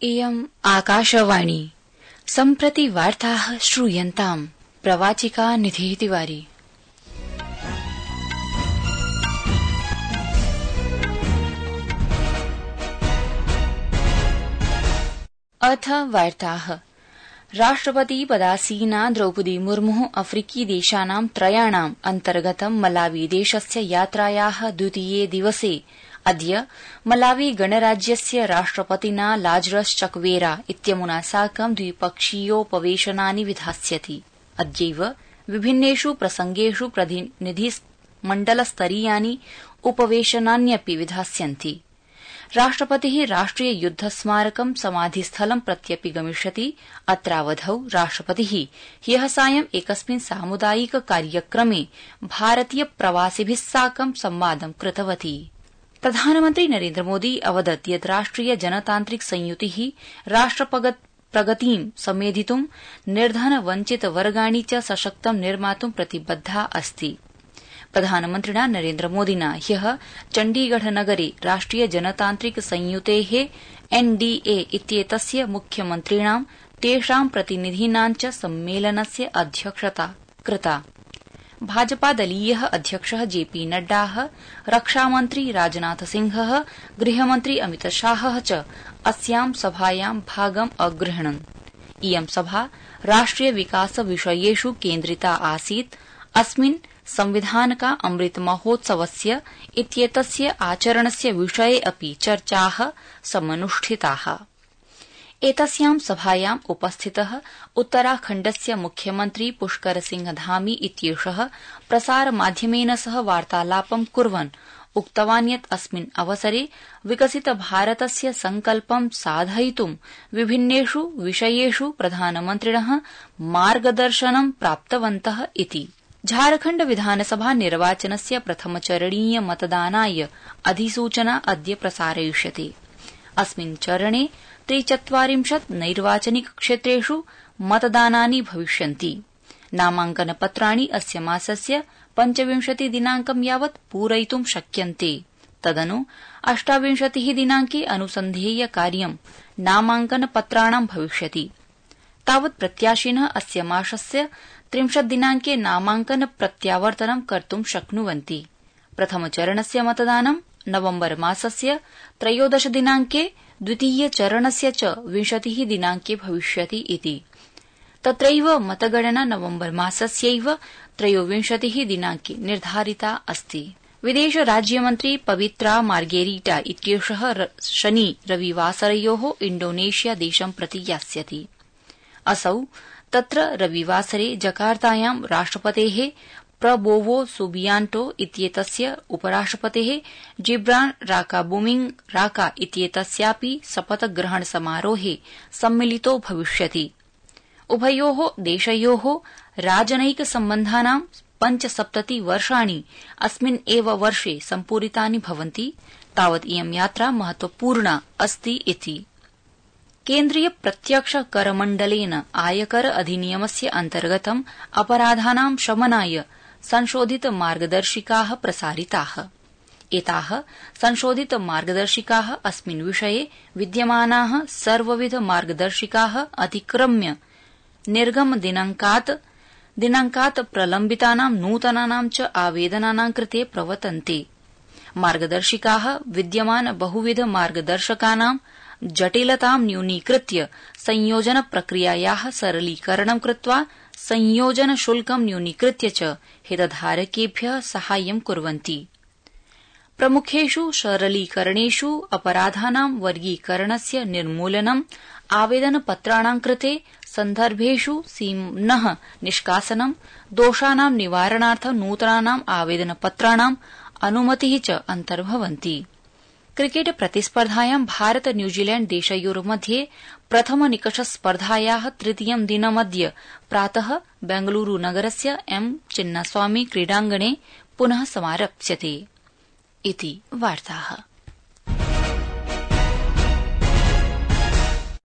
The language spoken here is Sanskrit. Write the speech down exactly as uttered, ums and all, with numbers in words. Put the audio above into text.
इयम् आकाशवाणी सम्प्रति वार्ताः श्रूयन्ताम् प्रवाचिका निधिः तिवारी। अथ वार्ताः। राष्ट्रपति पदासीना द्रौपदी मुर्मुः अफ्रीकी देशानां त्रयाणाम् अन्तर्गतं मलावी देशस्य यात्रायाः द्वितीये दिवसे अद्य मलावी गणराज्यस्य राष्ट्रपतिना लाजरस चक्वेरा इत्यमुना साकं द्विपक्षीयोपवेशनानि विधास्यति। अद्यैव विभिन्नेषु प्रसंगेषु प्रतिनिधिमण्डलस्तरीयानि उपवेशनान्यपि विधास्यन्ति। राष्ट्रपतिः राष्ट्रिय युद्ध स्मारकं समाधिस्थलं प्रत्यपि गमिष्यति। अत्रावधौ राष्ट्रपतिः ह्यः सायं एकस्मिन् सामुदायिक कार्यक्रमे भारतीय प्रवासिभिः साकं संवादं कृतवती। प्रधानमन्त्री नरेन्द्र मोदी अवदत् यत् राष्ट्रिय जनतान्त्रिक संयुतिः राष्ट्रप्रगतिं समेधितुं निर्धन वञ्चित वर्गाणि च सशक्तं निर्मातुं प्रतिबद्धा अस्ति। प्रधानमन्त्रिणा नरेन्द्र मोदिना ह्यः चण्डीगढ़ नगरे राष्ट्रिय जनतान्त्रिक संयुतेः एनडीए इत्येतस्य मुख्यमन्त्रिणां तेषां प्रतिनिधीनां च सम्मेलनस्य अध्यक्षता कृता। भाजपादलीयः अध्यक्षः जेपी नड्डा, रक्षामन्त्री राजनाथ सिंहः, गृहमन्त्री अमितशाहः च अस्यां सभायां भागम् अगृह्णन्। इयं सभा राष्ट्रिय विकास विषयेषु केन्द्रिता आसीत्। अस्मिन् संविधानका अमृत महोत्सवस्य इत्येतस्य आचरणस्य विषये अपि चर्चाः समनुष्ठिताः। एतस्यां सभायाम् उपस्थितः उत्तराखण्डस्य मुख्यमन्त्री पुष्कर सिंह धामी इत्येषः प्रसारमाध्यमेन सह वार्तालापं कुर्वन् उक्तवान् यत् अस्मिन् अवसरे विकसित भारतस्य संकल्पं साधयितुं विभिन्नेषु विषयेषु प्रधानमन्त्रिणः मार्गदर्शनं प्राप्तवन्तः इति। झारखण्ड विधानसभा निर्वाचनस्य प्रथमचरणीय मतदानाय अधिसूचना अद्य प्रसारयिष्यते। अस्मिन् चरणे त्रिचत्वारिंशत् नैर्वाचनिक क्षेत्रेषु मतदानानि भविष्यन्ति। नामाङ्कनपत्राणि अस्य मासस्य पञ्चविंशति दिनाङ्कं यावत् पूरयितुं शक्यन्ते। तदनु अष्टाविंशतिः दिनाङ्के अनुसन्धेय कार्यं नामाङ्कनपत्राणां भविष्यति। तावत् प्रत्याशिनः अस्य मासस्य त्रिंशत् दिनाङ्के नामाङ्कन प्रत्यावर्तनं कर्तुं शक्नुवन्ति। प्रथमचरणस्य मतदानं नवम्बर मासस्य त्रयोदश दिनाङ्के, द्वितीयचरणस्य च विंशतिः दिनाङ्के भविष्यति इति। तत्रैव मतगणना नवम्बर मासस्यैव त्रयोविंशतिः दिनाङ्के निर्धारिता अस्ति। विदेश राज्यमन्त्री पवित्रा मार्गेरिटा इत्येषः शनि रविवासरयोः इण्डोनेशिया देशं प्रति यास्यति। असौ तत्र रविवासरे जकार्तायां राष्ट्रपतेः प्रबोवो सुबियांटो इत्येतस्य उपराष्ट्रपतेः जिब्रान राकाबुमिंग राका इत्येतस्यापि शपथग्रहण समारोहे सम्मिलितो भविष्यति। उभयोः देशयोः राजनैक सम्बन्धानां पञ्चसप्तति वर्षाणि अस्मिन् एव वर्षे सम्पूरितानि भवन्ति। तावत् इयं यात्रा महत्वपूर्णा अस्ति इति। केन्द्रीय प्रत्यक्ष करमण्डलेन आयकर अधिनियमस्य अन्तर्गतं अपराधानां शमनाय संशोधित मार्गदर्शिकाः प्रसारिताः। एताः संशोधित मार्गदर्शिकाः अस्मिन् विषये विद्यमानाः सर्वविध मार्गदर्शिकाः अतिक्रम्य निर्गम दिनाङ्कात् दिनाङ्कात् प्रलम्बितानां नूतनानां च आवेदनानां कृते प्रवर्तन्ते। मार्गदर्शिकाः विद्यमान बहुविध मार्गदर्शकानां जटिलतां न्यूनीकृत्य संयोजन प्रक्रियायाः सरलीकरणं कृत्वा संयोजन शुल्कं न्यूनीकृत्य च हितधारकेभ्यः साहाय्यं कुर्वन्ति। प्रमुखेषु सरलीकरणेषु अपराधानां वर्गीकरणस्य निर्मूलनम्, आवेदनपत्राणां कृते सन्दर्भेषु सीम्नः निष्कासनं, दोषाणां निवारणार्थं नूतनानाम् आवेदनपत्राणां अनुमतिः च अन्तर्भवन्ति। क्रिकेट प्रतिस्पर्धायां भारत न्यूजीलैण्ड देशयोर्मध्ये प्रथम निकष स्पर्धायाः तृतीयं दिनमद्य प्रातः बेंगलुरू नगरस्य एम चिन्नास्वामी क्रीडाङ्गणे पुनः समारप्स्यते इति वार्ताः।